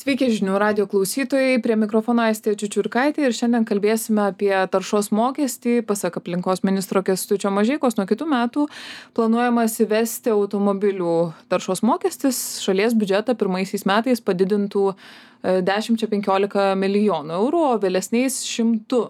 Sveiki žinių radijo klausytojai, prie mikrofono Aistė Čiučiurkaitė ir šiandien kalbėsime apie taršos mokestį. Pasak aplinkos ministro Kęstučio Mažeikos, nuo kitų metų planuojamas įvesti automobilių taršos mokestis. Šalies biudžetą pirmaisiais metais padidintų 10-15 milijonų eurų, o vėlesniais 100.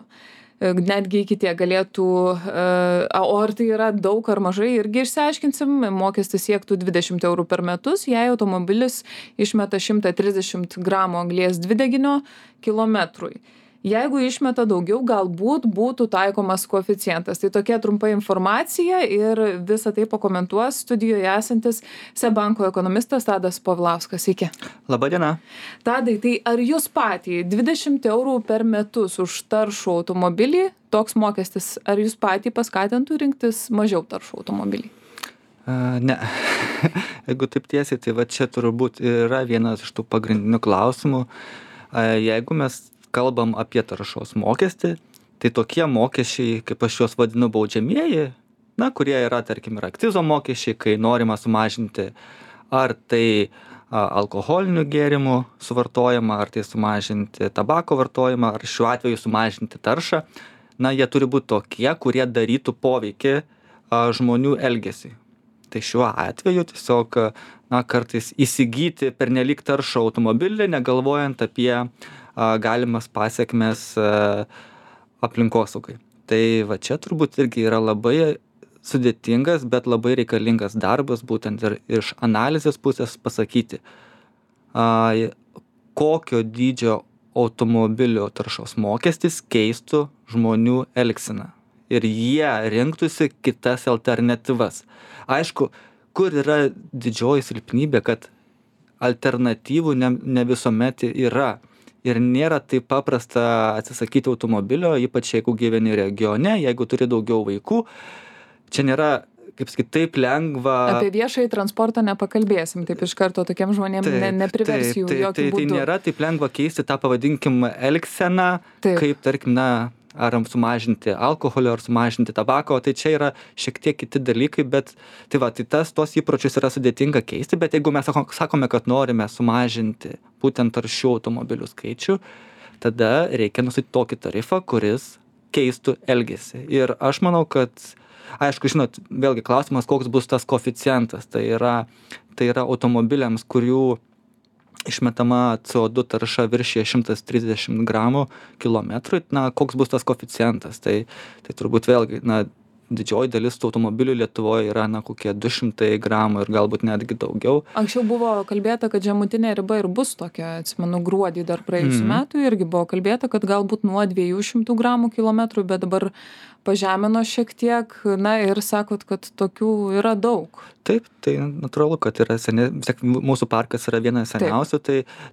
Netgi iki tiek galėtų, o ar tai yra daug ar mažai, irgi išsiaiškinsim. Mokestis siektų 20 eurų per metus, jei automobilis išmeta 130 gramų anglies dvideginio kilometrui. Jeigu išmeta daugiau, galbūt būtų taikomas koeficientas. Tai tokia trumpa informacija ir visą tai pakomentuos studijoje esantis SEB banko ekonomistas Tadas Povilauskas. Sveiki. Labadiena. Tadai, tai ar jūs patį 20 eurų per metus už taršų automobilį, toks mokestis, ar jūs patį paskatintų rinktis mažiau taršų automobilį? Ne. Jeigu taip tiesiai, tai va čia turbūt yra vienas iš tų pagrindinių klausimų. Jeigu mes kalbam apie taršos mokestį, tai tokie mokesčiai, kaip aš juos vadinu baudžiamieji, kurie yra, tarkim, ir akcizo mokesčiai, kai norima sumažinti ar tai alkoholinių gėrimų suvartojimą, ar tai sumažinti tabako vartojimą, ar šiuo atveju sumažinti taršą, jie turi būti tokie, kurie darytų poveikį žmonių elgesiui. Tai šiuo atveju tiesiog kartais įsigyti pernelyg taršą automobilį, negalvojant apie galimas pasekmes aplinkosaugai. Tai va čia turbūt irgi yra labai sudėtingas, bet labai reikalingas darbas, būtent ir iš analizės pusės pasakyti, kokio dydžio automobilio taršos mokestis keistų žmonių elgseną. Ir jie rinktųsi kitas alternatyvas. Aišku, kur yra didžioji silpnybė, kad alternatyvų ne visuomet yra. Ir nėra taip paprasta atsisakyti automobilio, ypač jeigu gyveni regione, jeigu turi daugiau vaikų. Čia nėra, kaip sakyti, taip lengva. Apie viešąjį transportą nepakalbėsim, taip iš karto tokiem žmonėm neprivers jų jokių būdų. Tai nėra taip lengva keisti tą, pavadinkim, elgseną, kaip, tarkim, ar sumažinti alkoholio, ar sumažinti tabako, tai čia yra šiek tiek kiti dalykai, bet tai tos įpročius yra sudėtinga keisti, bet jeigu mes sakome, kad norime sumažinti būtent taršių automobilių skaičių, tada reikia nustatyti tokį tarifą, kuris keistų elgesį. Ir aš manau, kad, aišku, žinot, vėlgi klausimas, koks bus tas koeficientas, tai yra automobiliams, kurių išmetama CO2 tarša viršija 130 gramų kilometrui, koks bus tas koeficientas. Tai turbūt vėlgi, didžioji dalis tų automobilių Lietuvoje yra, kokie 200 gramų ir galbūt netgi daugiau. Anksčiau buvo kalbėta, kad žemutinė riba ir bus tokia, atsimenu, gruodį dar praėjusių metų irgi buvo kalbėta, kad galbūt nuo 200 gramų kilometrų, bet dabar pažemino šiek tiek, ir sakot, kad tokių yra daug. Taip, tai natūralu, kad yra mūsų parkas yra vienas seniausių,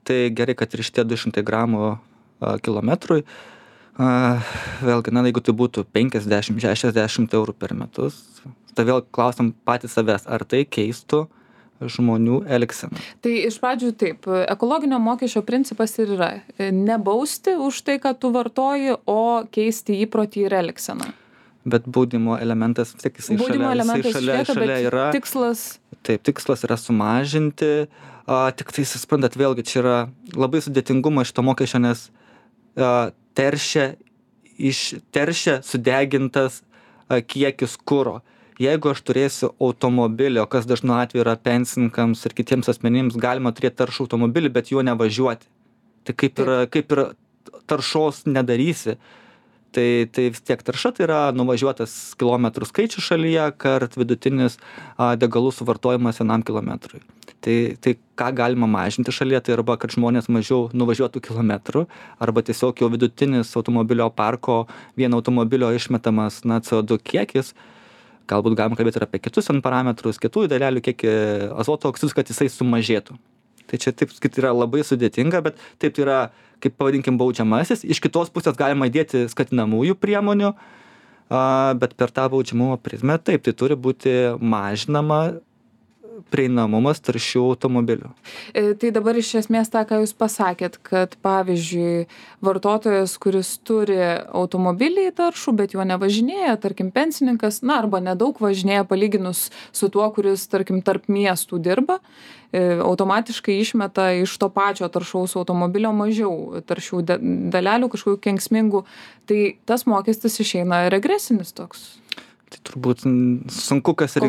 tai gerai, kad ir šitie 200 gramų kilometrui. Vėlgi, jeigu tai būtų 50-60 eurų per metus, tai vėl klausim patys savęs, ar tai keistų žmonių elgseną. Tai iš pradžių taip, ekologinio mokesčio principas ir yra nebausti už tai, kad tu vartoji, o keisti įprotį ir elgseną. Bet baudimo elementas, vis tiek jisai šalia yra. Tikslas. Taip, tikslas yra sumažinti, tik tai, suprantat, vėlgi čia yra labai sudėtingumo šito mokesčio, nes teršia sudegintas kiekis kuro. Jeigu aš turėsiu automobilį, o kas dažnu atveju yra pensininkams ir kitiems asmenims, galima turėti taršų automobilį, bet juo nevažiuoti. Tai kaip ir taršos nedarysi. Tai vis tiek tarša tai yra nuvažiuotas kilometrų skaičius šalyje, kart vidutinis degalų suvartojimas vienam kilometrui. Tai ką galima mažinti šalyje, tai arba kad žmonės mažiau nuvažiuotų kilometrų, arba tiesiog jau vidutinis automobilio parko vieno automobilio išmetamas CO2 kiekis. Galbūt galima kalbėti ir apie kitus parametrus, kietųjų dalelių kiekį, azoto oksidus, kad jisai sumažėtų. Tai čia taip yra labai sudėtinga, bet taip tai yra, kaip pavadinkim, baudžiamasis. Iš kitos pusės galima įdėti skatinamųjų priemonių, bet per tą baudžiamumo prizmę taip, tai turi būti mažinama prieinamumas taršių automobilių. Tai dabar iš esmės tą, ką jūs pasakėt, kad pavyzdžiui, vartotojas, kuris turi automobilį taršų, bet juo nevažinėja, tarkim, pensininkas, arba nedaug važinėja palyginus su tuo, kuris, tarkim, tarp miestų dirba, automatiškai išmeta iš to pačio taršaus automobilio mažiau taršių dalelių, kažkokių kenksmingų, tai tas mokestis išeina regresinis toks. Tai turbūt sunku, kas ir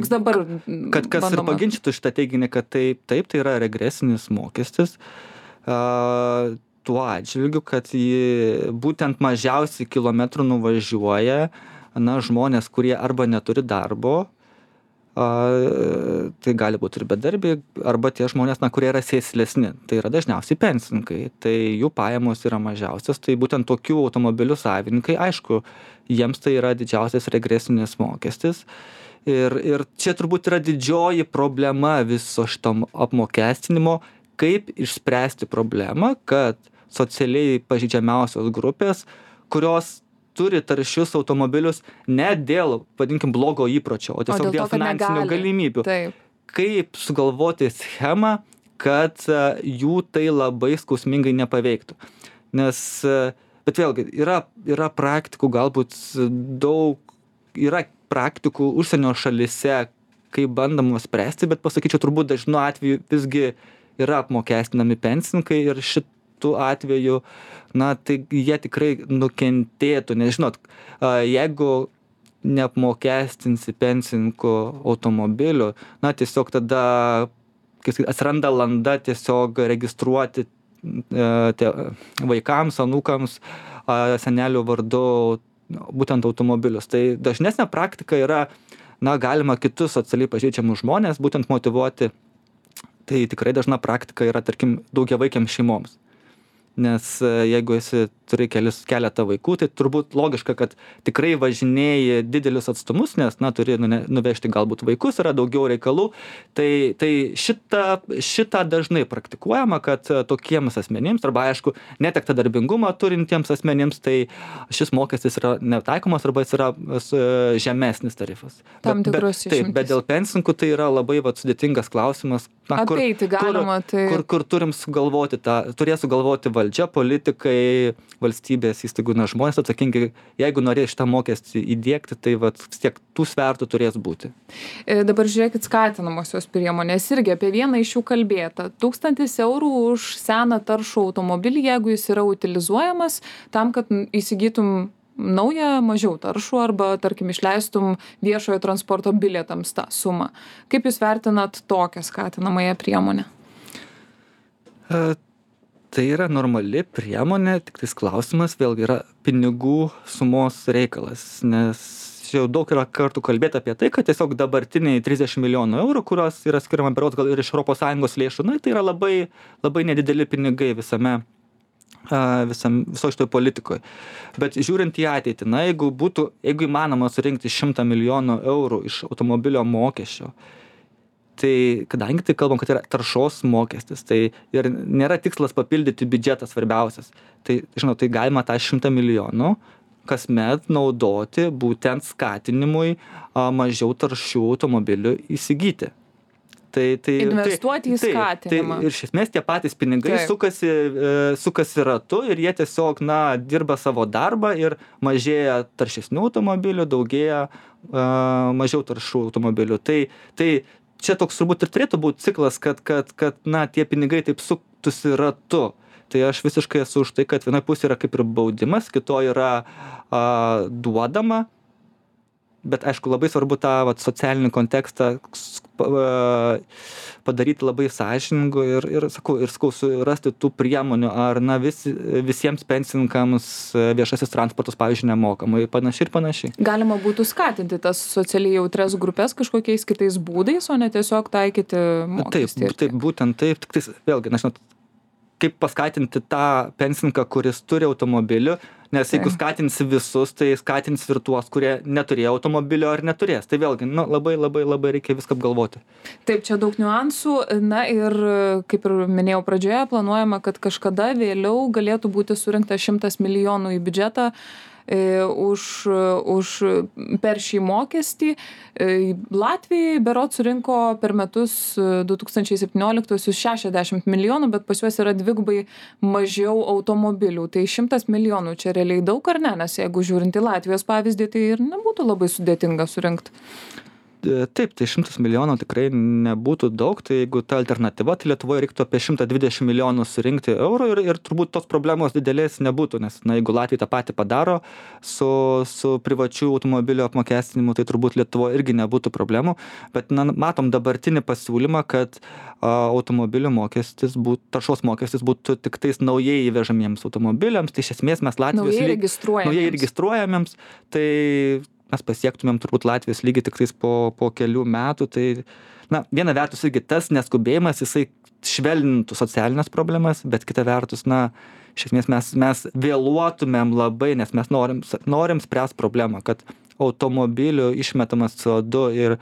paginčytų šitą teiginį, kad taip, tai yra regresinis mokestis. Tuo atžvilgiu, kad būtent mažiausiai kilometrų nuvažiuoja žmonės, kurie arba neturi darbo, tai gali būti ir bedarbiai, arba tie žmonės, kurie yra sėslesni, tai yra dažniausiai pensininkai, tai jų pajamos yra mažiausios, tai būtent tokių automobilių savininkai, aišku, jiems tai yra didžiausias regresinis mokestis ir čia turbūt yra didžioji problema viso šitom apmokestinimo, kaip išspręsti problemą, kad socialiai pažeidžiamiausios grupės, kurios turi taršius automobilius ne dėl, vadinkim, blogo įpročio, o tiesiog dėl finansinių galimybių. Taip. Kaip sugalvoti schemą, kad jų tai labai skausmingai nepaveiktų. Bet vėlgi, yra praktikų, galbūt yra praktikų užsienio šalyse, kaip bandoma spręsti, bet pasakyčiau, turbūt dažnu atveju visgi yra apmokestinami pensininkai ir šitų atveju tai jie tikrai nukentėtų, nes žinot, jeigu neapmokestinsi pensininkų automobilių, tiesiog tada atsiranda landa tiesiog registruoti vaikams, anūkams, senelių vardu būtent automobilius. Tai dažnesnė praktika yra, galima kitus socialiai pažeidžiamus žmonės būtent motyvuoti. Tai tikrai dažna praktika yra, tarkim, daugiavaikėms šeimoms. Nes jeigu turi keletą vaikų, tai turbūt logiška, kad tikrai važinėji didelius atstumus, nes turi nuvežti galbūt vaikus, yra daugiau reikalų. Tai šitą dažnai praktikuojama, kad tokiems asmenims, arba aišku, netektą darbingumą turintiems asmenims, tai šis mokestis yra netaikomas arba jis yra žemesnis tarifas. Tam tikros išimtys. Bet dėl pensininkų tai yra labai sudėtingas klausimas. Apeiti galima, kur turim turės sugalvoti valdžia, politikai, valstybės įstaigų, žmonės atsakingi, jeigu norės šitą mokestį įdiegti, tai vis tiek tų svertų turės būti. Dabar žiūrėkit, skatinamosios priemonės, irgi apie vieną iš jų kalbėta. 1000 eurų už seną taršų automobilį, jeigu jis yra utilizuojamas, tam, kad įsigytum naują, mažiau taršų arba, tarkim, išleistum viešojo transporto bilietams tą sumą. Kaip jūs vertinat tokią skatinamąją priemonę? Tai yra normali priemonė, tik tais klausimas vėlgi yra pinigų sumos reikalas, nes jau daug yra kartų kalbėti apie tai, kad tiesiog dabartiniai 30 milijonų eurų, kurios yra skiriama berods gal ir iš ES lėšų, tai yra labai, labai nedideli pinigai viso šitoj politikoje. Bet žiūrint į ateitį, jeigu įmanoma surinkti 100 milijonų eurų iš automobilio mokesčio, tai kadangi tai kalbam, kad yra taršos mokestis, tai ir nėra tikslas papildyti biudžetą svarbiausias. Tai, tai galima tą 100 milijonų kasmet naudoti būtent skatinimui mažiau taršių automobilių įsigyti. Investuoti į skatinimą. Ir iš esmės tie patys pinigai sukasi ratu ir jie tiesiog dirba savo darbą ir mažėja taršesnių automobilių, daugėja mažiau taršų automobilių. Tai čia toks turbūt ir turėtų būti ciklas, kad tie pinigai taip suktųsi ratu. Tai aš visiškai esu už tai, kad viena pusė yra kaip ir baudimas, kito yra duodama, bet aišku labai svarbu tą socialinį kontekstą padaryti labai sąžiningu ir rasti tų priemonių, ar visiems pensininkams viešasis transportas, pavyzdžiui, nemokamai, panašiai. Galima būtų skatinti tas socialiai jautrias grupės kažkokiais kitais būdais, o ne tiesiog taikyti mokestį. Taip, būtent taip, tik vėlgi, kaip paskatinti tą pensininką, kuris turi automobilių, nes jeigu skatinsi visus, tai skatinsi ir tuos, kurie neturėjo automobilio ar neturės. Tai vėlgi, labai, labai, labai reikia viską apgalvoti. Taip, čia daug niuansų. Ir kaip ir minėjau pradžioje, planuojama, kad kažkada vėliau galėtų būti surinkta 100 milijonų į biudžetą per šį mokestį. Latvijai berods surinko per metus 2017 60 milijonų, bet pas juos yra dvigubai mažiau automobilių. Tai 100 milijonų čia realiai daug ar ne? Nes jeigu žiūrint į Latvijos pavyzdį, tai ir nebūtų labai sudėtinga surinkti. Taip, tai 100 milijonų tikrai nebūtų daug, tai jeigu ta alternatyva, tai Lietuvoje reiktų apie 120 milijonų surinkti eurų ir turbūt tos problemos didelės nebūtų, nes jeigu Latvija tą patį padaro su privačių automobilių apmokestinimu, tai turbūt Lietuvoje irgi nebūtų problemų, bet matom dabartinį pasiūlymą, kad automobilių mokestis taršos mokestis būtų tik tais naujai įvežamiems automobiliams, tai iš esmės mes Latvijos naujai registruojamiems, tai mes pasiektumėm turbūt Latvijos lygį tik tais po kelių metų, tai, viena vertus irgi tas neskubėjimas, jisai švelnintų socialinės problemas, bet kita vertus, iš esmės mes vėluotumėm labai, nes mes norim spręsti problemą, kad automobilių išmetamas CO2 ir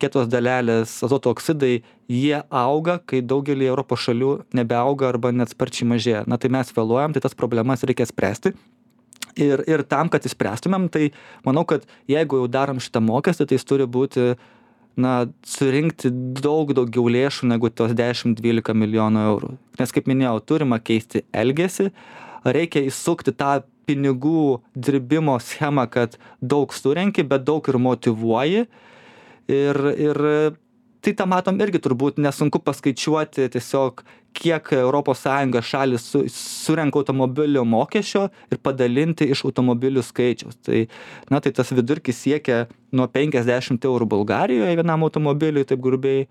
kietos dalelės, azoto oksidai, jie auga, kai daugelį Europos šalių nebeauga arba net sparčiai mažėja. Tai mes vėluojam, tai tas problemas reikia spręsti. Ir tam, kad įspręstumėm, tai manau, kad jeigu jau darom šitą mokestį, tai jis turi būti, surinkti daug daugiau lėšų negu tos 10-12 milijonų eurų. Nes, kaip minėjau, turima keisti elgesį, reikia įsukti tą pinigų dirbimo schemą, kad daug surenki, bet daug ir motyvuoji. Ir tai tą matom irgi turbūt nesunku paskaičiuoti tiesiog, kiek ES šalis surenka automobilių mokesčio ir padalinti iš automobilių skaičiaus. Tai tas vidurkis siekia nuo 50 eurų Bulgarijoje vienam automobiliui, taip grubiai,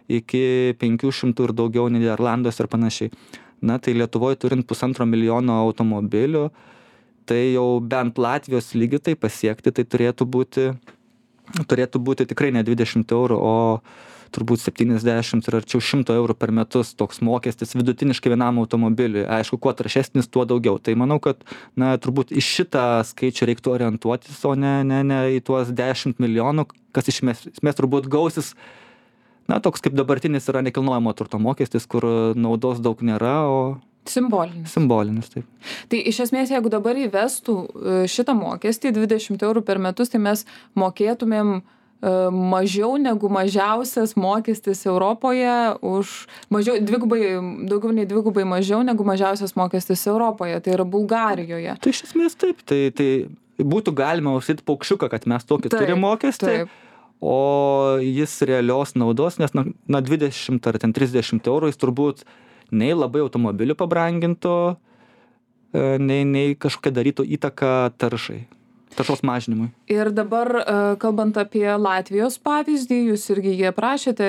iki 500 ir daugiau Niderlanduose ir panašiai. Tai Lietuvoje turint 1,5 milijono automobilių, tai jau bent Latvijos lygį tai pasiekti, tai turėtų būti tikrai ne 20 eurų, o turbūt 70 ir arčiau 100 eurų per metus toks mokestis vidutiniškai vienam automobiliui. Aišku, kuo taršesnis, tuo daugiau. Tai manau, kad turbūt iš šitą skaičių reiktų orientuotis, o ne į tuos 10 milijonų, kas iš esmės turbūt gausis, toks kaip dabartinis yra nekilnojamo turto mokestis, kur naudos daug nėra, o simbolinis, taip. Tai iš esmės, jeigu dabar įvestų šitą mokestį 20 eurų per metus, tai mes mokėtumėm mažiau negu mažiausias mokestis Europoje, daugiau nei dvigubai mažiau negu mažiausias mokestis Europoje, tai yra Bulgarijoje. Tai iš esmės taip, tai būtų galima užsidėti paukščiuką, kad mes tokį turim mokestį, taip. O jis realios naudos, nes 20 ar 30 eurų jis turbūt nei labai automobilių pabrangintų, nei kažkokia darytų įtaką taršos mažinimui. Ir dabar, kalbant apie Latvijos pavyzdį, jūs irgi jį aprašėte,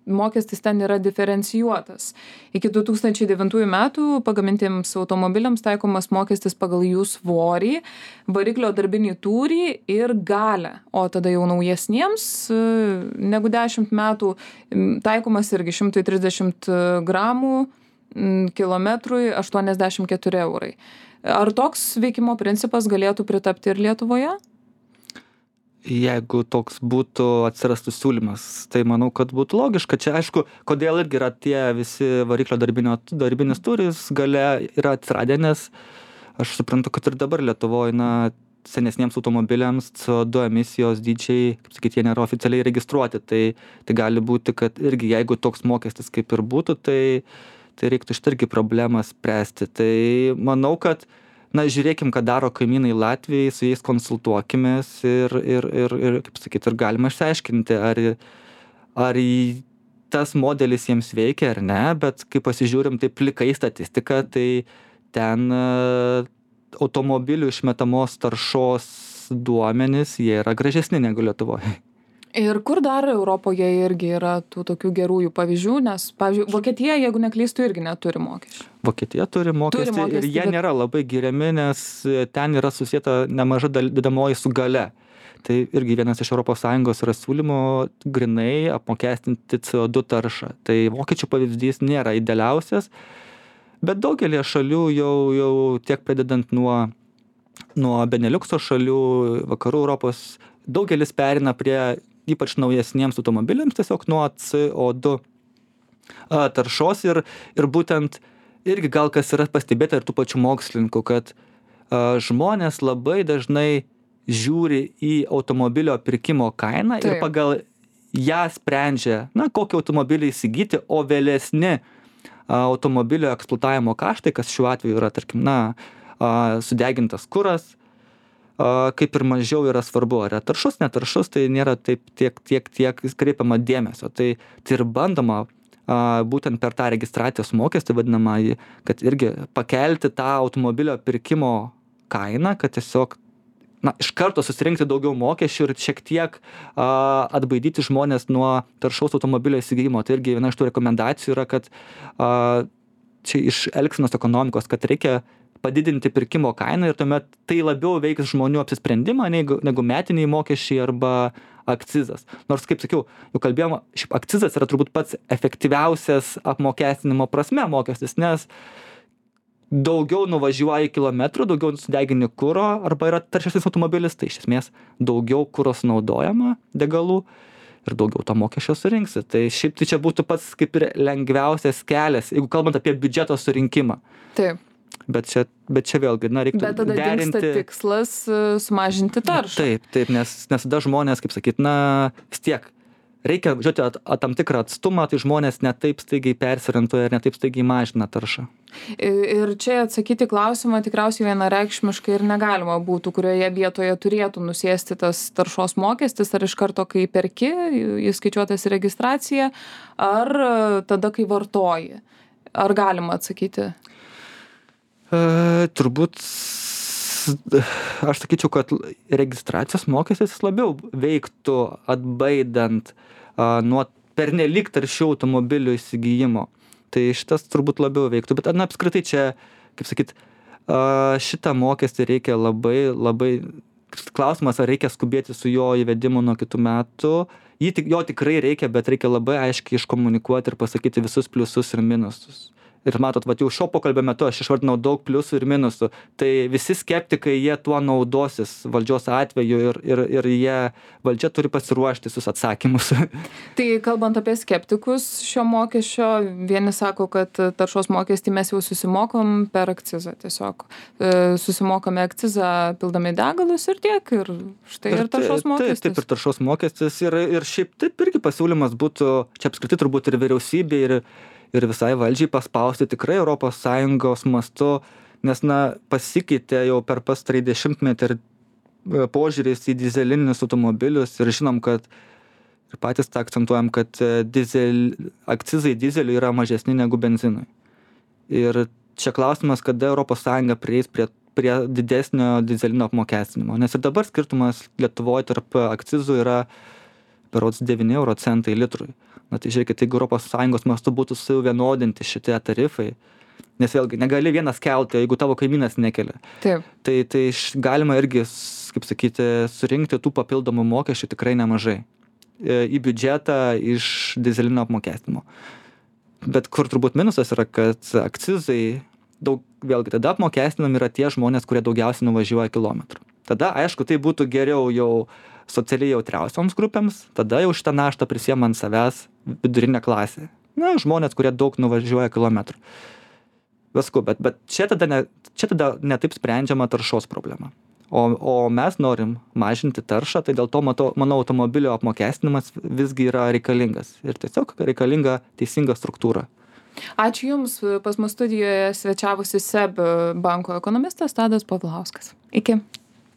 mokestis ten yra diferencijuotas. Iki 2009 metų pagamintiems automobiliams taikomas mokestis pagal jų svorį, variklio darbinį tūrį ir galią. O tada jau naujesniems, negu 10 metų, taikomas irgi 130 gramų kilometrui 84 eurai. Ar toks veikimo principas galėtų pritapti ir Lietuvoje? Jeigu toks atsirastų siūlymas, tai manau, kad būtų logiška. Čia aišku, kodėl irgi yra tie visi variklio darbinis tūris gale yra atsiradę, nes aš suprantu, kad ir dabar Lietuvoje, senesniems automobiliams CO2 emisijos dydžiai, kaip sakyti, jie nėra oficialiai registruoti. Tai gali būti, kad irgi jeigu toks mokestis kaip ir būtų, tai reiktų šitą irgi problemą spręsti. Tai manau, kad žiūrėkim, ką daro kaimynai Latvijai, su jais konsultuokimės ir kaip sakyti, ir galima išsiaiškinti, ar tas modelis jiems veikia ar ne, bet kai pasižiūrim taip plikai statistiką, tai ten automobilių išmetamos taršos duomenys, jie yra gražesni negu Lietuvoje. Ir kur dar Europoje irgi yra tų tokių gerųjų pavyzdžių, nes, pavyzdžiui, Vokietija, jeigu neklystu, irgi neturi mokesčių. Vokietija turi mokestį ir jie nėra labai giriami, nes ten yra susieta nemaža dedamoji su gale. Tai irgi vienas iš ES yra siūlymo grinai apmokestinti CO2 taršą. Tai vokiečių pavyzdys nėra idealiausias, bet daugelį šalių jau tiek pradedant nuo Beneliukso šalių, vakarų Europos, daugelis perina prie ypač naujesniems automobiliams tiesiog nuo CO2 taršos ir būtent irgi gal kas yra pastebėta ir tų pačių mokslininkų, kad žmonės labai dažnai žiūri į automobilio pirkimo kainą ir Taip. pagal ją sprendžia, kokį automobilį įsigyti, o vėlesni automobilio eksploatavimo kaštai, kas šiuo atveju yra, tarkim, sudegintas kuras, kaip ir mažiau yra svarbu, ar yra taršus, netaršus, tai nėra taip tiek kreipiama dėmesio. Tai ir bandoma būtent per tą registracijos mokestį vadinamąjį, kad irgi pakelti tą automobilio pirkimo kainą, kad tiesiog iš karto susirinkti daugiau mokesčių ir šiek tiek atbaidyti žmonės nuo taršaus automobilio įsigijimo. Tai irgi viena iš tų rekomendacijų yra, kad čia iš elgsenos ekonomikos, kad reikia padidinti pirkimo kainą ir tuomet tai labiau veiks žmonių apsisprendimą negu metiniai mokesčiai arba akcizas. Nors, kaip sakiau, jau kalbėjom, šiaip akcizas yra turbūt pats efektyviausias apmokestinimo prasme mokestis, nes daugiau nuvažiuoji kilometrų, daugiau sudegini kuro arba yra taršesnis automobilis, tai iš esmės daugiau kuro sunaudojama degalų ir daugiau to mokesčio surinksi. Tai šiaip tai čia būtų pats kaip ir lengviausias kelias, jeigu kalbant apie biudžeto surinkimą. Taip. Bet čia vėlgi, reiktų Bet tada derinti. dingsta tikslas sumažinti taršą. Taip, nes tada žmonės, kaip sakyt, vis tiek reikia žiūrėti tam tikrą atstumą, tai žmonės ne taip staigiai persiorientuoja ir ne taip staigiai mažina taršą. Ir čia atsakyti klausimą tikriausiai vienareikšmiškai ir negalima būtų, kurioje vietoje turėtų nusėsti tas taršos mokestis, ar iš karto, kai perki, įskaičiuotas į registraciją, ar tada, kai vartoji. Ar galima atsakyti? Turbūt aš sakyčiau, kad registracijos mokestis labiau veiktų atbaidant nuo pernelyg taršių automobilių įsigijimo. Tai šitas turbūt labiau veiktų. Bet apskritai čia, kaip sakyt, šitą mokestį reikia labai, klausimas, ar reikia skubėti su jo įvedimu nuo kitų metų. Jo tikrai reikia, bet reikia labai aiškiai iškomunikuoti ir pasakyti visus pliusus ir minusus. Ir matot, jau šio pokalbio metu aš išvardinau daug pliusų ir minusų. Tai visi skeptikai, jie tuo naudosis valdžios atveju ir valdžia turi pasiruošti visus atsakymus. Tai kalbant apie skeptikus šio mokesčio, vieni sako, kad taršos mokestį mes jau susimokom per akcizą. Tiesiog susimokame akcizą pildami degalus ir tiek. Ir štai ir taršos mokestis. Taip, ir taršos mokestis. Ir šiaip taip irgi pasiūlymas būtų, čia apskritai turbūt ir vyriausybė, ir visai valdžiai paspausti tikrai ES mastu, nes pasikeitė jau per pastarąjį dešimtmetį ir požiūris į dyzelinius automobilius ir žinom, kad ir patys tą akcentuojam, kad akcizai dyzeliui yra mažesni negu benzinui. Ir čia klausimas, kada ES prieis prie didesnio dyzelinio apmokestinimo, nes ir dabar skirtumas Lietuvoje tarp akcizų yra berods 9 euro centai litrui. Tai žiūrėkit, jeigu ES mastu būtų suvienodinti šitie tarifai, nes vėlgi negali vienas kelti, jeigu tavo kaimynas nekelia. Taip. Tai galima irgi, kaip sakyti, surinkti tų papildomų mokesčių tikrai nemažai į biudžetą iš dyzelinio apmokestinimo. Bet kur turbūt minusas yra, kad akcizai vėlgi tada apmokestinami yra tie žmonės, kurie daugiausiai nuvažiuoja kilometrų. Tada, aišku, tai būtų geriau jau socialiai jautriausioms grupėms, tada jau šitą naštą prisiema ant savęs vidurinė klasė. Žmonės, kurie daug nuvažiuoja kilometrų. Visku, bet čia tada ne taip sprendžiama taršos problema. O mes norim mažinti taršą, tai dėl to, mano automobilio apmokestinimas visgi yra reikalingas. Ir tiesiog reikalinga teisinga struktūra. Ačiū Jums. Pas mus studijoje svečiavosi SEB banko ekonomistas Tadas Povilauskas. Iki.